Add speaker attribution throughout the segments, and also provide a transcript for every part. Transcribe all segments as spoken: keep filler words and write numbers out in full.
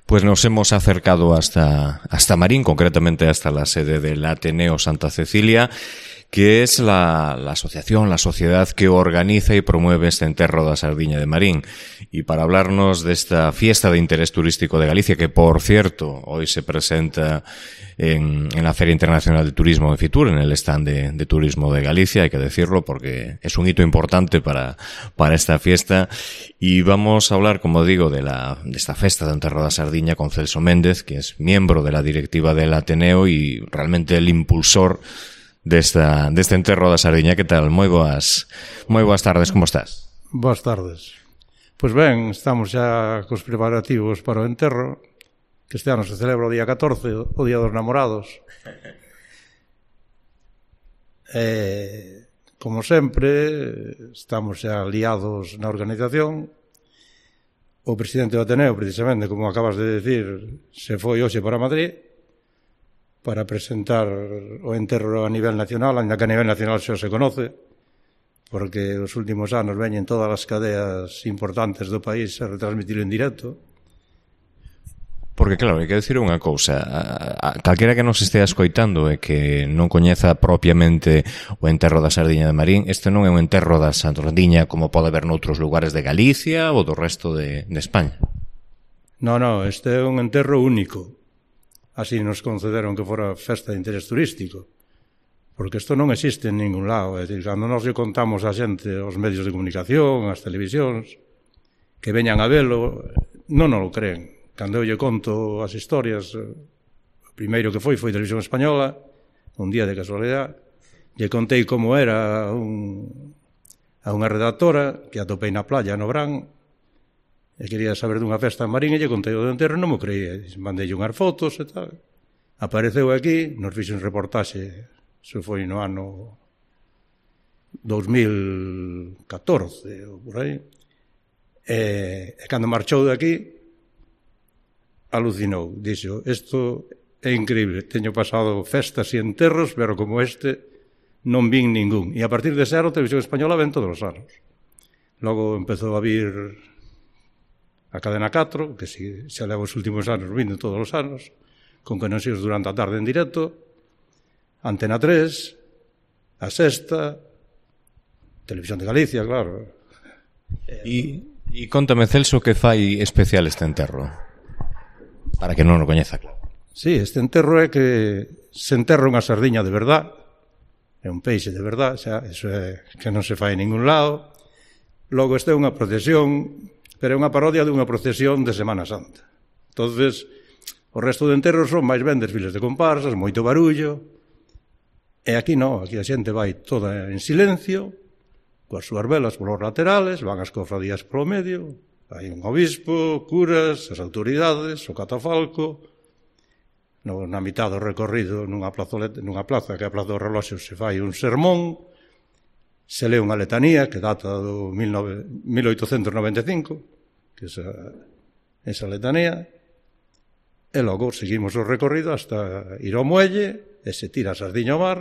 Speaker 1: Pues nos hemos acercado hasta, hasta Marín, concretamente hasta la sede del Ateneo Santa Cecilia, que es la, la asociación, la sociedad que organiza y promueve este enterro da Sardiña de Marín. Y para hablarnos de esta fiesta de interés turístico de Galicia, que por cierto hoy se presenta en, en la Feria Internacional de Turismo de Fitur, en el stand de, de Turismo de Galicia, hay que decirlo porque es un hito importante para, para esta fiesta. Y vamos a hablar, como digo, de, la, de esta festa de enterro da Sardiña con Celso Méndez, que es miembro de la directiva del Ateneo y realmente el impulsor desta, deste enterro da Sardiña. Que tal? Moi boas, moi boas tardes, como estás?
Speaker 2: Boas tardes. Pois ben, estamos xa cos preparativos para o enterro, que este ano se celebra o día catorce, o Día dos Namorados. E, como sempre, estamos xa liados na organización. O presidente do Ateneo, precisamente, como acabas de decir, se foi hoxe para Madrid para presentar o enterro a nivel nacional, ainda que a nivel nacional xa se conoce, porque os últimos anos veñen todas as cadeas importantes do país a retransmitirlo en directo.
Speaker 1: Porque, claro, hai que decir unha cousa, a, a, calquera que nos estea escoitando e que non coñeza propiamente o enterro da Sardiña de Marín, este non é un enterro da Sardiña como pode haber noutros lugares de Galicia ou do resto de, de España.
Speaker 2: Non, non, este é un enterro único. Así nos concederon que fora festa de interés turístico. Porque isto non existe en ningún lado. É dicir, cando nos lle contamos a xente, aos medios de comunicación, as televisións, que veñan a velo, non nos lo creen. Cando eu lle conto as historias, o primeiro que foi foi Televisión Española, un día de casualidade, lle contei como era un, a unha redactora que atopei na playa no Brán e quería saber dunha festa en Marín e lle contei o do enterro e non me creía. Mandei unhas fotos e tal. Apareceu aquí, nos fixe un reportaxe, se foi no ano dos mil catorce ou por aí, e, e cando marchou de aquí alucinou, dixo, isto é increíble, teño pasado festas e enterros, pero como este non vin ningún. E a partir de ser, a Televisión Española ven todos os anos. Logo empezou a vir a Cadena catro, que si, xa leva os últimos anos vindo todos os anos, con conexións durante a tarde en directo, Antena tres, a Sexta, Televisión de Galicia, claro.
Speaker 1: E, e contame, Celso, que fai especial este enterro? Para que non o coñeza, claro.
Speaker 2: Sí, este enterro é que se enterra unha sardiña de verdad, é un peixe de verdad, xa, eso é que non se fai en ningún lado. Logo este é unha procesión, pero é unha parodia dunha procesión de Semana Santa. Entonces, o resto de enterros son máis ben desfiles de comparsas, moito barullo, e aquí non, aquí a xente vai toda en silencio, coas súas velas polos laterales, van as cofradías polo medio, hai un obispo, curas, as autoridades, o catafalco. No, na mitad do recorrido, nunha, plazoleta, nunha plaza, que é a Plaza dos Reloxos, se fai un sermón, se lee unha letanía que data do mil oitocentos noventa e cinco, que é esa, esa letanía, e logo seguimos o recorrido hasta ir ao muelle, e se tira a sardiña ao mar,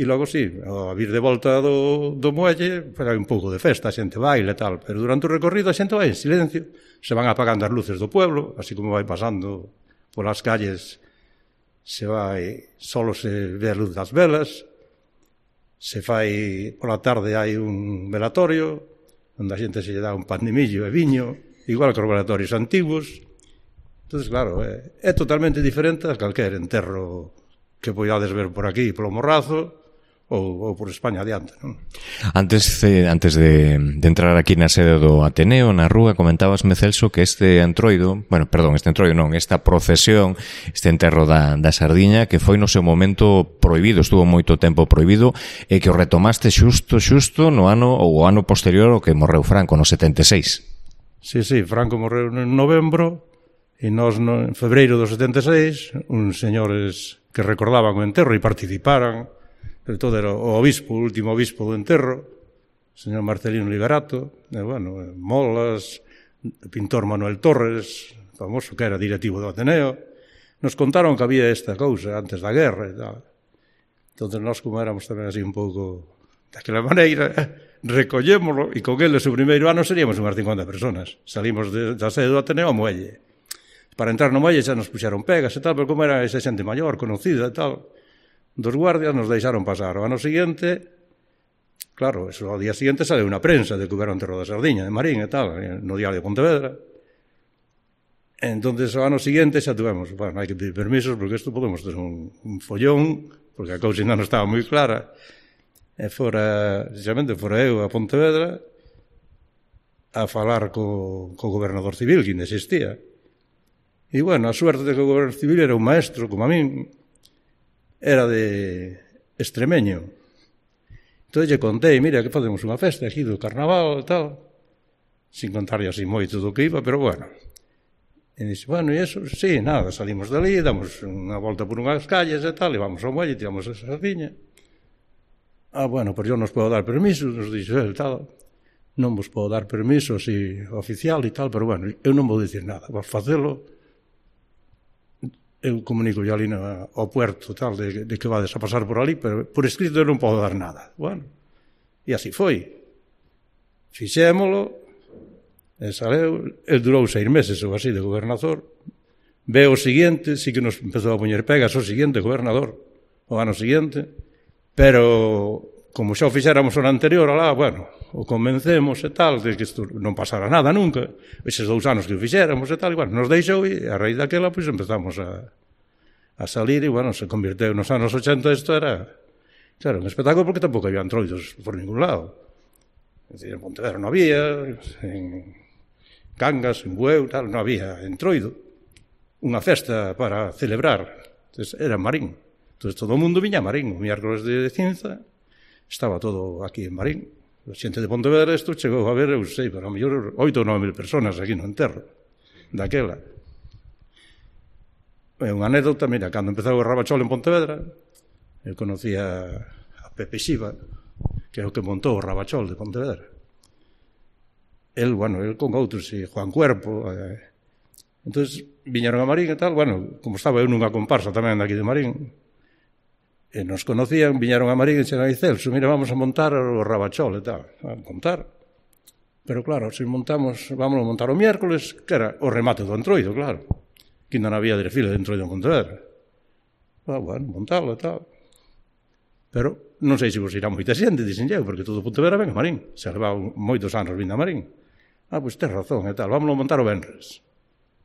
Speaker 2: e logo, sí, a vir de volta do, do muelle, hai un pouco de festa, a xente baila e tal, pero durante o recorrido a xente vai en silencio, se van apagando as luces do pueblo, así como vai pasando polas calles, se vai, solo se ve a luz das velas, se fai, pola tarde hai un velatorio, onde a xente se lle dá un pan de millo e viño, igual que os velatorios antigos. Entón, claro, é, é totalmente diferente a calquer enterro que podades ver por aquí, polo Morrazo, ou, ou por España adiante, non?
Speaker 1: Antes, de, antes de, de entrar aquí na sede do Ateneo, na rúa, comentabasme, Celso, que este entroido, bueno, perdón, este entroido non, esta procesión, este enterro da, da Sardiña, que foi no seu momento prohibido, estuvo moito tempo prohibido, e que o retomaste xusto, xusto no ano, ou o ano posterior ao que morreu Franco, no setenta e seis.
Speaker 2: Sí, sí, Franco morreu en novembro, e nós no, en febreiro do setenta e seis, uns señores que recordaban o enterro e participaran, sobre todo era o obispo, o último obispo do enterro, o señor Marcelino Liberato, e, bueno, Molas, o pintor Manuel Torres, famoso que era directivo do Ateneo, nos contaron que había esta cousa antes da guerra e tal. Entón, nós, como éramos tamén así un pouco daquela maneira, recollémoslo, e con eles o primeiro ano seríamos unhas cincuenta personas. Salimos de, da sede do Ateneo ao muelle. para entrar no muelle xa nos puxeron pegas e tal, pero como era esa xente maior, conocida e tal, dos guardias nos deixaron pasar. O ano seguinte, claro, eso, ao día seguinte sale unha prensa de que houberon enterro da sardiña de Marín e tal, no diario de Pontevedra. Entonces, o ano seguinte xa tuvemos, bueno, hai que pedir permisos porque isto podemos ter un, un follón, porque a cousa ainda non estaba moi clara. E fora, precisamente, fora eu a Pontevedra a falar co, co gobernador civil, que ainda existía. E, bueno, a suerte de que o gobernador civil era un maestro, como a min, era de extremeño. Entón, lle contei, mira, que facemos unha festa aquí do carnaval e tal, sin contarlle así moito do que iba, pero, bueno. E dixe, bueno, e eso? Sí, nada, salimos dali, damos unha volta por unhas calles e tal, e vamos ao muelle, tiramos a sardiña. Ah, bueno, pois eu nos podo dar permiso, nos dixo el, tal. Non vos podo dar permiso así oficial e tal, pero bueno, eu non vou dicir nada, vos facelo. Eu comunico ya ali na, ao puerto tal, de, de que vades a pasar por ali, pero por escrito eu non podo dar nada. Bueno, e así foi. Fixémolo, e saleu, el durou seis meses ou así de gobernador. Ve o seguinte, sí que nos empezou a poñer pegas o seguinte gobernador, o ano seguinte, pero como xa o fixéramos o anterior, alá, bueno, o convencemos e tal, de que isto non pasara nada nunca, eses dous anos que o fixéramos e tal, e bueno, nos deixou e a raíz daquela, pois empezamos a, a salir e, bueno, se convirteu nos anos ochenta, isto era, claro, un espectáculo porque tampouco había antroidos por ningún lado. Es decir, en Pontevedra non había, en Cangas, en Bueu, tal, non había entroido. Unha festa para celebrar. Entonces, era en Marín. Entonces, todo o mundo viña a Marín. O miércoles de cinza estaba todo aquí en Marín. A xente de Pontevedra isto chegou a ver, eu sei, para a mellor oito ou nove mil personas aquí no enterro daquela. É unha anécdota, mira, cando empezou o Rabachol en Pontevedra, eu conocía a Pepe Xiva, que é o que montou o Rabachol de Pontevedra. El, bueno, el con outros, e Juan Cuerpo. Eh. Entón, viñeron a Marín e tal, bueno, como estaba eu nunha comparsa tamén daqui de Marín, e nos conocían, viñeron a Marín e dixeron, Celso, mira, vamos a montar o Rabachol e tal. A montar. Pero claro, se montamos, vamos a montar o miércoles, que era o remate do entroido, claro. Que ainda non había desfile de entroido en Pontevedra. Ah, bueno, montalo e tal. Pero non sei se vos irá moita xente, dixen eu, porque todo Pontevedra ven a Marín. Se levaba moitos anos vindo a Marín. Ah, pois tes razón e tal, vámonos a montar o venres.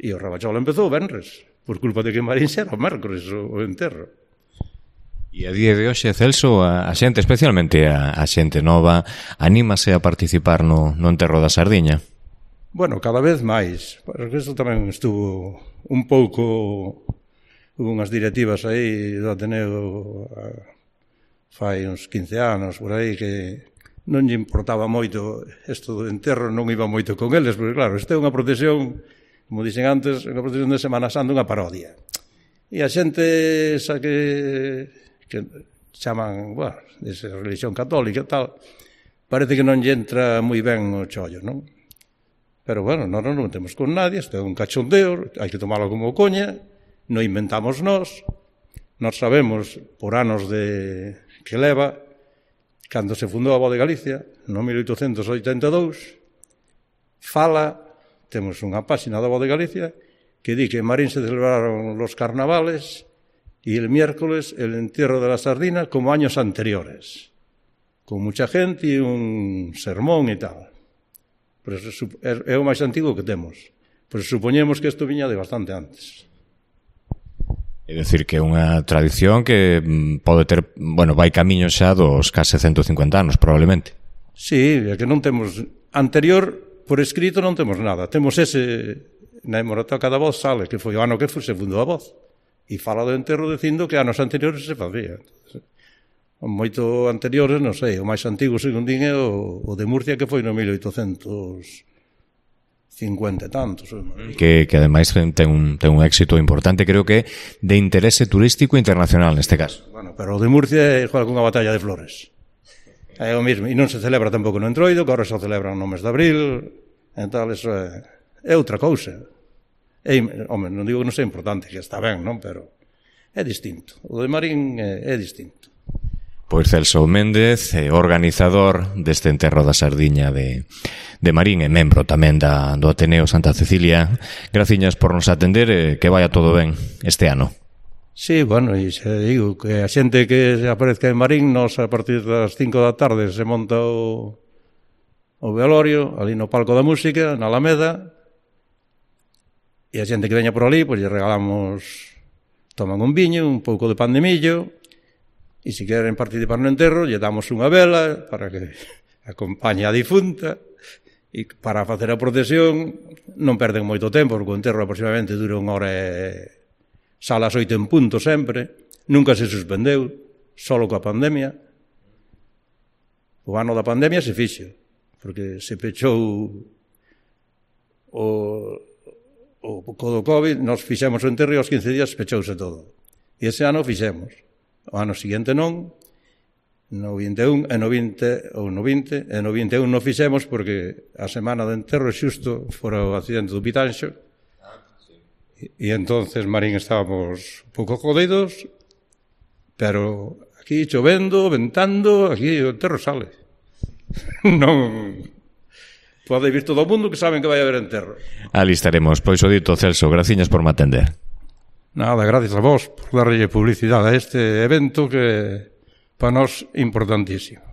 Speaker 2: E o Rabachol empezou o venres, por culpa de que en Marín xa era o mércores o, o enterro.
Speaker 1: E a día de hoxe, Celso, a, a xente, especialmente a, a xente nova, anímase a participar no, no enterro da sardiña?
Speaker 2: Bueno, cada vez máis, porque isto tamén estuvo un pouco, hubo unhas directivas aí do Ateneo a, fai uns quince anos por aí que non lle importaba moito isto do enterro, non iba moito con eles, porque claro, isto é unha procesión, como dixen antes, unha procesión de Semana Santa, unha parodia. E a xente esa que, que chaman, bueno, esa religión católica e tal, parece que non lle entra moi ben o chollo, non? Pero bueno, non nos metemos con nadie, isto é un cachondeo, hai que tomalo como coña, non inventamos nós, nós sabemos por anos de que leva, cando se fundou a Voz de Galicia, no mil oitocentos oitenta e dous, fala, temos unha páxina da Voz de Galicia, que di que en Marín se celebraron los carnavales y el miércoles el entierro de la sardina como años anteriores, con mucha gente y un sermón e tal. Pero é o máis antigo que temos. Pero supoñemos que isto viña de bastante antes.
Speaker 1: É dicir, que é unha tradición que pode ter, bueno, vai camiño xa dos case ciento cincuenta anos, probablemente.
Speaker 2: Sí, é que non temos anterior, por escrito non temos nada. Temos ese, na hemeroteca da Voz sale, que foi o ano que se fundou a Voz, e fala do enterro dicindo que anos anteriores se facía. Moito anteriores, non sei, o máis antigo, según din, é o, o de Murcia, que foi no mil oitocentos cincuenta e tantos.
Speaker 1: Que, que ademais ten un, ten un éxito importante, creo que de interese turístico internacional neste caso.
Speaker 2: Bueno, pero o de Murcia é igual que unha batalla de flores. É o mismo, e non se celebra tampouco no entroido, que agora se celebra no mes de abril, e tal, eso é, é outra cousa. É, home, non digo que non sea importante, que está ben, non? Pero é distinto. O de Marín é, é distinto.
Speaker 1: Pois Celso Méndez, organizador deste enterro da sardiña de, de Marín e membro tamén da, do Ateneo Santa Cecilia. Graciñas por nos atender e que vaya todo ben este ano.
Speaker 2: Sí, bueno, e se digo que a xente que aparezca en Marín, nos a partir das cinco da tarde se monta o, o velorio ali no palco da música, na Alameda, e a xente que veña por ali, pois lle regalamos, toman un viño, un pouco de pan de millo. E se queren participar no enterro, lle damos unha vela para que acompañe a difunta. E para facer a procesión non perden moito tempo, porque o enterro aproximadamente dura unha hora e sale ás oito en punto sempre. Nunca se suspendeu, solo coa pandemia. O ano da pandemia se fixo, porque se pechou o, o co do COVID, nos fixemos o enterro e aos quince días pechouse todo. E ese ano fixemos. O ano seguinte non, no vinte e un, e no vinte, ou no vinte, e no vinte e un non fixemos porque a semana de enterro xusto fora o accidente do Pitanxo, e, e entonces Marín estábamos un pouco jodidos, pero aquí chovendo, ventando, aquí o enterro sale. Non pode vir todo o mundo que saben que vai haber enterro.
Speaker 1: Ali estaremos. Pois o dito, Celso, graciñas por me atender.
Speaker 2: Nada, gracias a vos por darlle publicidade a este evento que para nós importantísimo.